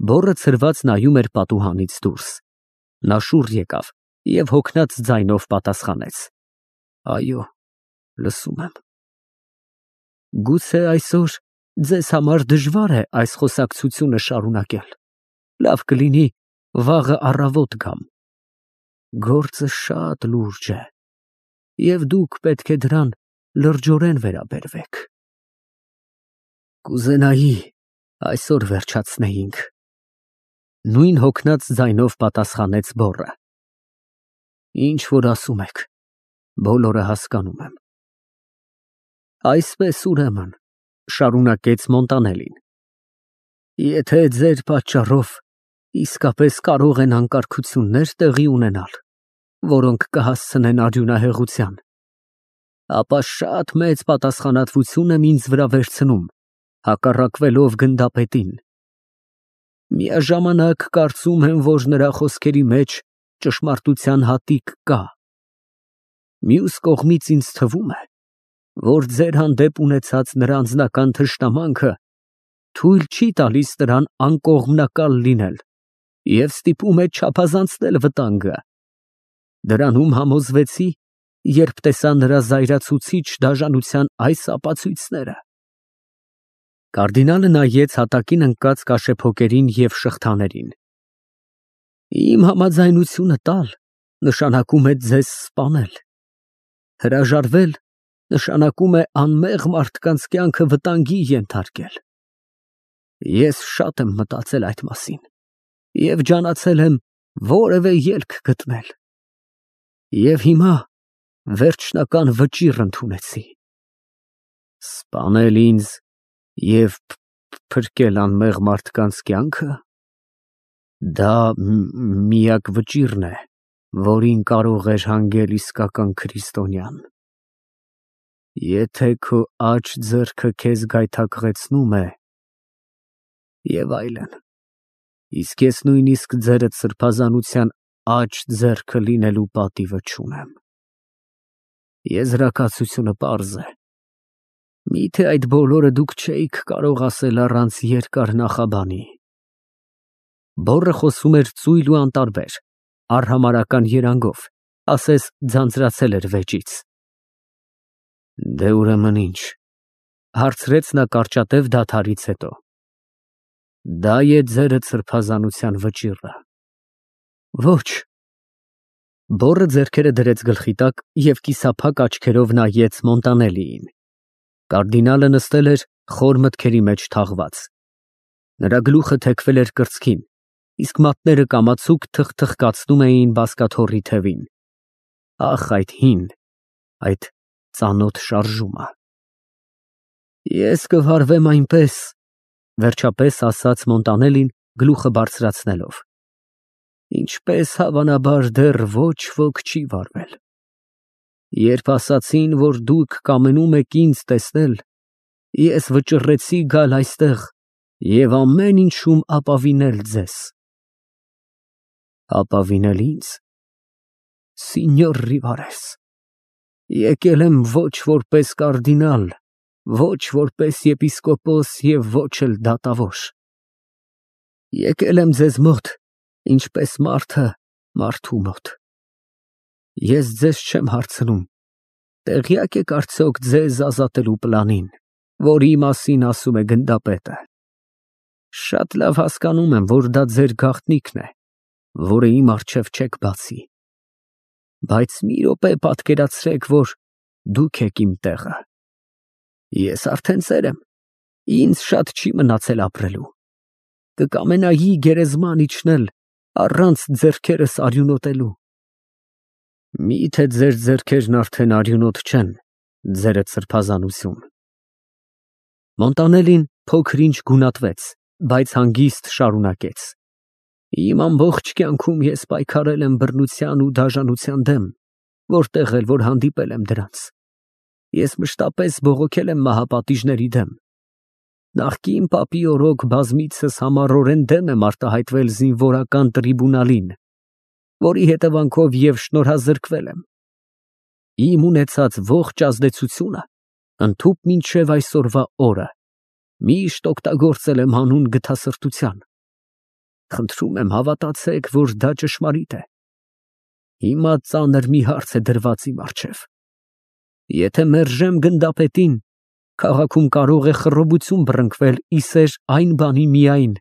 Բոռը ցրված նայում էր պատուհանից դուրս։ Նա շուռ եկավ և հոգնած ձայնով պատասխանեց. Այո, լսում եմ։ Գուցե այսօր ձեզ համար դժվար է այս խոսակցությունը շարունակել։ Լավ կլինի վաղը առավոտ գամ։ Գործը շատ լուրջ է, և դուք պետք է դրան լրջորեն վերաբերվեք։ Կուզենայի այսօր վերջացնեինք։ Նույն հոգնած ձայնով պատասխանեց բոռը։ Ինչ որ ասում եք, բոլորը հասկանում եմ։ Այսպես ուրեմն, շարունակեց Մոնտանելին, եթե ձեր պատճառով իսկապես կարող են անկարգություններ տեղի ունենալ, որոնք կհասցնեն արյունահեղության, ապա շատ մեծ պատասխանատվություն եմ ինձ վրա վերցնում, հակառակվելով գնդապետին։ Միաժամանակ կարծում եմ, որ նրա խոսքերի մեջ ճշմարտության հատիկ կա։ Մյուս կողմից ինձ թվում է, որ ձեր հանդեպ ունեցած նրա անձնական թշնամանքը թույլ չի տալիս նրան անկողմնակալ լինել և ստիպում է չափազանցնել վտանգը։ Դրանում համոզվեցի, երբ տեսա նրա զայրացուցիչ դաժանության այս ապացույցները։ Կարդինալը նայեց հատակին ընկած կաշեփոկերին և շղթաներին։ Իմ համաձայնությունը տալ նշանակում է ձեզ սպանել։ Հրաժարվել նշանակում է անմեղ մարդկանց կյանքը վտանգի ենթարկել։ Ես շատ եմ մտածել այդ մասին և ջանացել եմ որևէ ելք գտնել։ Եվ հիմա վերջնական վճիռ ընդունեցի։ Սպանել ինձ և փրկել անմեղ մարդկանց կյանքը, դա միակ վճիռն է, որին կարող էր հանգել իսկական քրիստոնյան։ Եթե քո աջ ձեռքը քեզ գայթակղեցնում է և այլն, իսկ ես նույնիսկ ձերդ սրբազանության աջ ձեռքը լինելու պատիվը չունեմ։ Եզրակացությունը պարզ է։ Միթե այդ բոլորը դուք չէիք կարող ասել առանց երկար նախաբանի։ Բոռը խոսում էր ծույլ ու անտարբեր, արհամարհական երանգով, ասես ձանձրացել էր վեճից։ Դե ուրեմն ինչ, հարցրեց նա կարճատև դադարից հետո։ Դա է ձերդ սրբազանության վճիռը։ Ոչ։ Բոռը ձեռքերը դրեց գլխի տակ և կիսափակ աչքերով նայեց Մոնտանելիին։ Կարդինալը նստել էր խոր մտքերի մեջ թաղված։ Նրա գլուխը թեքվել էր կրծքին, իսկ մատները կամացուկ թխթխկացնում էին բազկաթոռի թևին։ Ախ, այդ հին, այդ ծանոթ շարժումը։ Ես կվարվեմ այնպես, վերջապես ասաց Մոնտանելին գլուխը բարձրացնելով, ինչպես հավանաբար դեռ ոչ ոք չի վարվել։ Երբ ասացին, որ դուք կամենում եք ինձ տեսնել, ես վճռեցի գալ այստեղ և ամեն ինչում ապավինել ձեզ։ Ապավինել ինձ։ Սինյոր Ռիվարես, եկել եմ ոչ որպես կարդինալ, ոչ որպես եպիսկոպոս և ոչ էլ դատավոր։ Եկել եմ ձեզ մոտ, ինչպես մարդը մարդու մոտ։ Ես ձեզ չեմ հարցնում, տեղյա՞կ եք արդյոք ձեզ ազատելու պլանին, որի մասին ասում է գնդապետը։ Շատ լավ հասկանում եմ, որ դա ձեր գաղտնիքն է, որը իմ առջև չեք բացի։ Բայց մի րոպե պատկերացրեք, որ դուք եք իմ տեղը։ Ես արդեն ծեր եմ, ինձ շատ չի մնացել ապրելու։ Կկամենայի գերեզման իջնել առանց ձեռքերս արյունոտելու։ Միթե ձեր ձեռքերն արդեն արյունոտ չեն, ձերդ սրբազանություն։ Մոնտանելին փոքր-ինչ գունատվեց, բայց հանգիստ շարունակեց. Իմ ամբողջ կյանքում ես պայքարել եմ բռնության ու դաժանության դեմ, որտեղ էլ որ հանդիպել եմ դրանց։ Ես մշտապես բողոքել եմ մահապատիժների դեմ։ Նախկին պապի օրոք բազմիցս համառորեն դեմ եմ արտահայտվել զինվորական տրիբունալին, որի հետևանքով և շնորհազրկվել եմ։ Իմ ունեցած ողջ ազդեցությունը, ընդհուպ մինչև այսօրվա օրը, միշտ օգտագործել եմ հանուն գթասրտության։ Խնդրում եմ հավատացեք, որ դա ճշմարիտ է։ Հիմա ծանր մի հարց է դրված իմ առջև։ Եթե մերժեմ գնդապետին, քաղաքում կարող է խռովություն բռնկվել իսեր այն բանի միայն,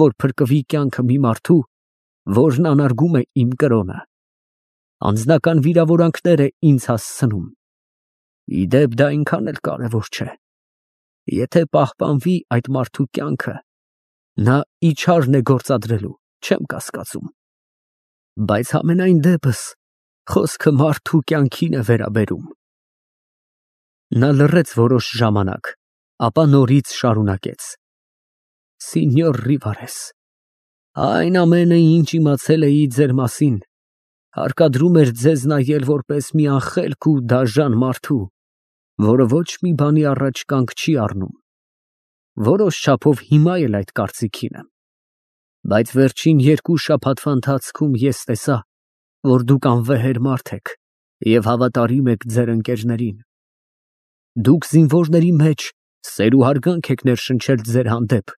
որ փրկվի կյանքը մի մարդու, որն անարգում է իմ կրոնը։ Անձնական վիրավորանքներ է ինձ հասցնում։ Ի դեպ, դա այնքան էլ կարևոր չէ։ Եթե պահպանվի այդ մարդու կյանքը, նա իչարն է գործադրելու, չեմ կասկածում։ Բայց համենայն դեպս խոսքը մարդու կյանքին է վերաբերում։ Նա լռեց որոշ ժամանակ, ապա նորից շարունակեց. Սինյոր Ռիվարես, այն ամենը, ինչ իմացել էի ձեր մասին, հարկադրում էր ձեզ նայել որպես մի անխելք ու դաժան մարդու, որը ոչ մի բանի առաջ կանգ չի առնում։ Որոշ չափով հիմա էլ այդ կարծիքին եմ։ Բայց վերջին 2 շաբաթվա ընթացքում ես տեսա, որ դուք անվեհեր մարդ եք և հավատարիմ եք ձեր ընկերներին։ Դուք զինվորների մեջ սեր ու հարգանք եք ներշնչել ձեր հանդեպ,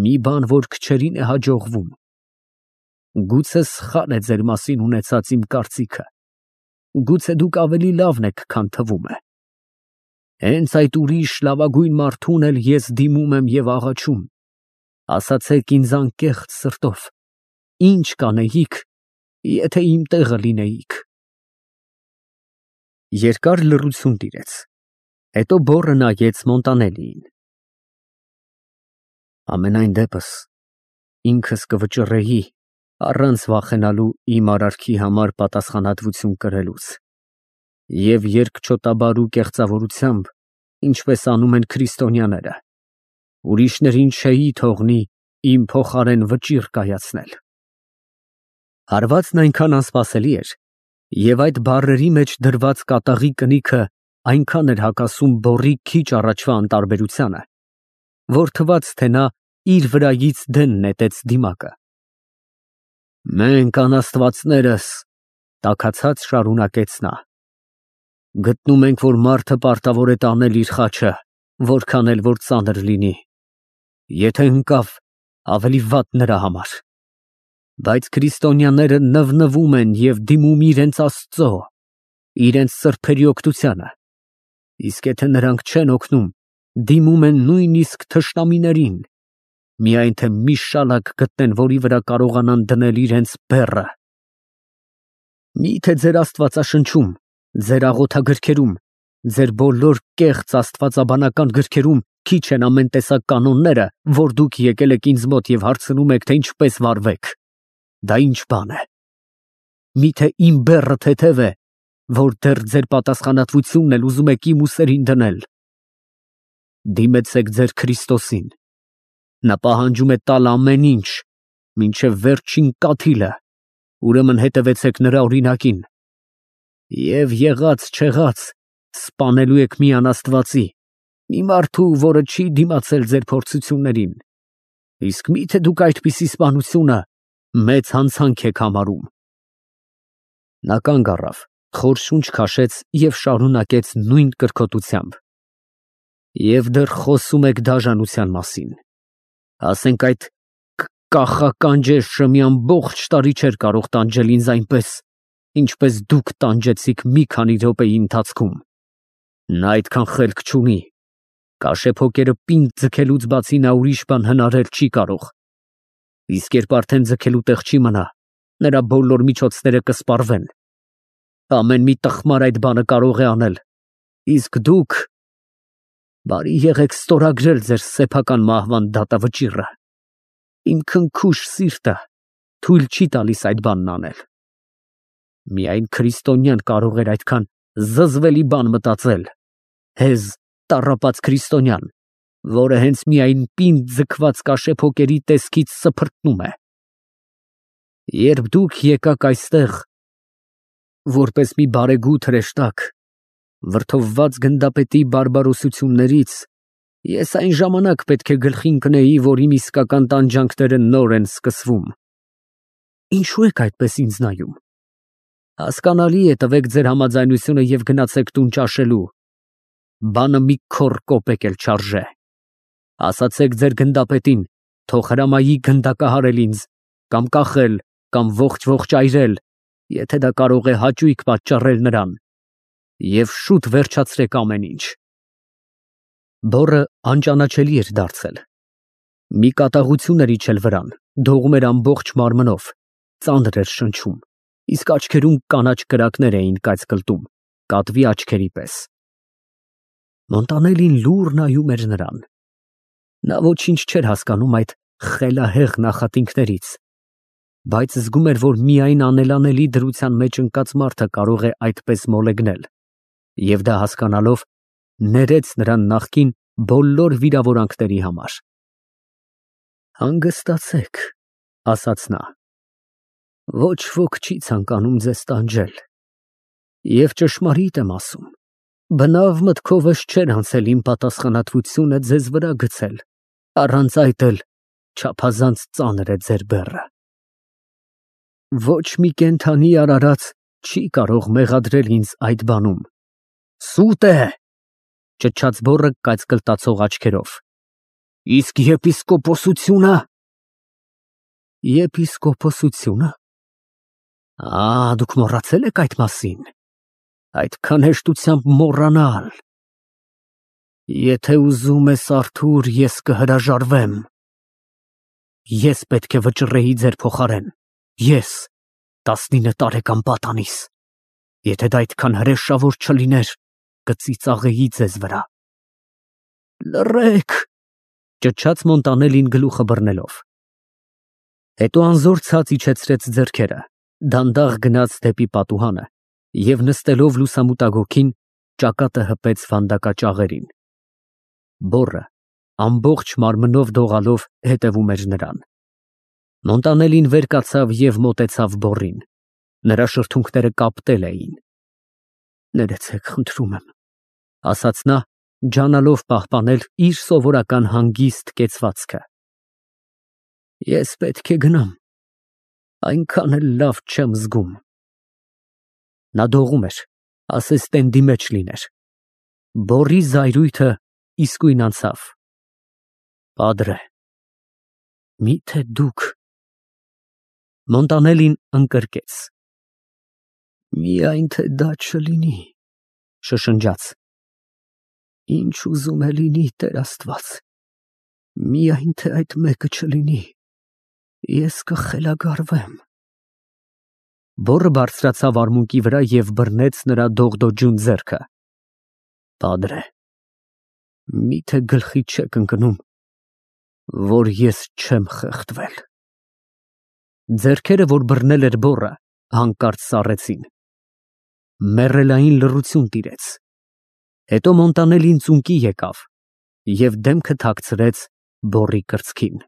մի բան, որ քչերին է հաջողվում։ Գուցե սխալ է ձեր մասին ունեցած իմ կարծիքը, գուցե դուք ավելի լավն եք, քան թվում է։ Հենց այդ ուրիշ լավագույն մարդուն էլ ես դիմում եմ և աղաչում։ Ասացեք ինձ անկեղծ սրտով, ինչ կանեիք, եթե իմ տեղը լինեիք։ Երկար լռություն տիրեց, հետո բոռը նայեց Մոնտանելիին։ Ամենայն դեպս, ինքս կվճռեի, առանց վախենալու իմ արարքի համար պատասխանատվություն կրելուց։ Եվ երկչոտաբար ու կեղծավորությամբ, ինչպես անում են քրիստոնյաները, ուրիշներին չէի թողնի իմ փոխարեն վճիռ կայացնել։ Հարվածն այնքան անսպասելի էր, և այդ բառերի մեջ դրված կատաղի կնիքը այնքան էր հակասում բոռի քիչ առաջվա անտարբերությանը, որ թվաց, թե նա իր վրայից դեն նետեց դիմակը։ Մենք անաստվածներս, տաքացած շարունակեց նա, գտնում ենք, որ մարդը պարտավոր է տանել իր խաչը, որքան էլ որ ծանր լինի, եթե ընկավ, ավելի վատ նրա համար։ Բայց քրիստոնյաները նվնվում են և դիմում իրենց Աստծո, իրենց սրբերի օգնությանը, իսկ եթե նրանք չեն օգնում, դիմում են նույնիսկ թշնամիներին, միայն թե մի շալակ գտնեն, որի վրա կարողանան դնել իրենց բեռը։ Միթե ձեր աստվածաշնչում, ձեր աղոթագրքերում, ձեր բոլոր կեղծ աստվածաբանական գրքերում քիչ են ամեն տեսակ կանոնները, որ դուք եկել եք ինձ մոտ և հարցնում եք, թե ինչպես վարվեք։ Դա ինչ բան է։ Միթե իմ բեռը թեթև է, որ դեռ ձեր պատասխանատվությունն էլ ուզում եք իմ ուսերին դնել։ Դիմեցեք ձեր Քրիստոսին։ Նա պահանջում է տալ ամեն ինչ, մինչև վերջին կաթիլը, ուրեմն հետևեցեք նրա օրինակին։ Եվ եղած չեղած, սպանելու եք մի անաստվածի, մի մարդու, որը չի դիմացել ձեր փորձություններին։ Իսկ միթե դուք այդպիսի սպանությունը մեծ հանցանք եք համարում։ Նա կանգ առավ, խոր շունչ քաշեց և շարունակեց նույն կրքոտությամբ. Եվ դեռ խոսում եք դաժանության մասին։ Ասենք այդ կախական ջեշը մի ամբողջ տարի չէր կարող տանջել ինձ այնպես, ինչպես դուք տանջեցիք մի քանի րոպեի ընթացքում։ Նա այդքան խելք չունի։ Կաշեփոկերը պինդ ձգելուց բացի նա ուրիշ բան հնարել չի կարող։ Իսկ երբ արդեն ձգելու տեղ չի մնա, նրա բոլոր միջոցները կսպառվեն։ Ամեն մի տխմար այդ բանը կարող է անել։ Իսկ դուք բարի եղեք ստորագրել ձեր սեփական մահվան դատավճիռը։ Իմ քնքուշ սիրտը թույլ չի տալիս այդ բանն անել։ Միայն քրիստոնյան կարող էր այդքան զզվելի բան մտածել։ Հեզ տառապած քրիստոնյան, որը հենց միայն պինդ ձգված կաշեփոկերի տեսքից սփրտնում է։ Երբ դուք եկաք այստեղ, որպես մի բարեգութ հրեշտակ, վրդովված գնդապետի բարբարոսություններից, ես այն ժամանակ պետք է գլխի ընկնեի, որ իմ իսկական տանջանքները նոր են սկսվում։ Ինչու եք այդպես ինձ նայում։ Հասկանալի է, տվեք ձեր համաձայնությունը և գնացեք տուն ճաշելու։ Բանը մի քոռ կոպեկ էլ չարժե։ Ասացեք ձեր գնդապետին, թող հրամայի գնդակահարել ինձ կամ կախել, կամ ողջ այրել, եթե դա կարող է հաճույք պատճառել նրան, և շուտ վերջացրեք ամեն ինչ։ Բոռը անճանաչելի էր դարձել։ Մի կատաղություն էր իջել վրան, դողում էր ամբողջ մարմնով, ծանր էր շնչում, իսկ աչքերում կանաչ կրակներ էին կայծկլտում, կատվի աչքերի պես։ Մոնտանելին լուռ նայում էր նրան։ Նա ոչինչ չէր հասկանում այդ խելահեղ նախատինքներից, բայց զգում էր, որ միայն անելանելի դրության մեջ ընկած մարդը կարող է այդպես մոլեգնել, և դա հասկանալով, ներեց նրան նախկին բոլոր վիրավորանքների համար։ «Հանգստացեք», ասաց նա, «ոչ ոք չի ցանկանում ձեզ տանջել, և ճշմարիտ եմ ասում, բնավ մտքովս չէր անցել իմ պատասխանատվությունը ձեզ վրա գցել, առանց այդ էլ չափազանց ծանր է ձեր բեռը։ Ոչ մի կենդանի արարած չի կարող մեղադրել ինձ այդ բանում»։ «Սուտ է», ճչաց բոռը կայծկլտացող աչքերով։ «Իսկ եպիսկոպոսությունը»։ «Եպիսկոպոսությունը։ Դուք մոռացել եք այդ մասին, այդքան հեշտությամբ մոռանալ։ Եթե ուզում ես, Արթուր, ես կհրաժարվեմ։ Ես պետք է վճռեի ձեր փոխարեն, ես, 19 տարեկան պատանիս։ Եթե դա այդքան հրեշավոր չլիներ, կծիծաղեի ձեզ վրա»։ «Լռեք», ճչաց Մոնտանելին գլուխը բռնելով։ Հետո անզոր ցած իջեցրեց ձեռքերը, դանդաղ գնաց դեպի պատուհանը և նստելով լուսամուտագոգին, ճակատը հպեց վանդակաճաղերին։ Բոռը ամբողջ մարմնով դողալով հետևում էր նրան։ Մոնտանելին վեր կացավ և մոտեցավ բոռին։ Նրա շրթունքները կապտել էին։ «Ներեցեք, խնդրում եմ», ասաց նա, ջանալով պահպանել իր սովորական հանգիստ կեցվածքը։ «Ես պետք է գնամ, այնքան էլ լավ չեմ զգում»։ Նա դողում էր, ասես տենդի մեջ լիներ։ Բոռի զայրույթը իսկույն անցավ։ «Պադրե, մի՞թե դուք»։ Մոնտանելին ընկրկեց։ «Միայն թե դա չլինի», շշնջաց։ «Ինչ ուզում է լինի, Տեր Աստված, միայն թե այդ մեկը չլինի, ես կխելագարվեմ»։ Բոռը բարձրացավ արմունկի վրա և բռնեց նրա դողդոջուն ձեռքը։ «Պադրե, մի՞թե գլխիդ չեք ընկնում, որ ես չեմ խեղդվել»։ Ձեռքերը, որ բռնել էր բոռը, հանկարծ սառեցին։ Մեռելային լռություն տիրեց։ Հետո Մոնտանելին ծունկի եկավ և դեմքը թաքցրեց բոռի կրծքին։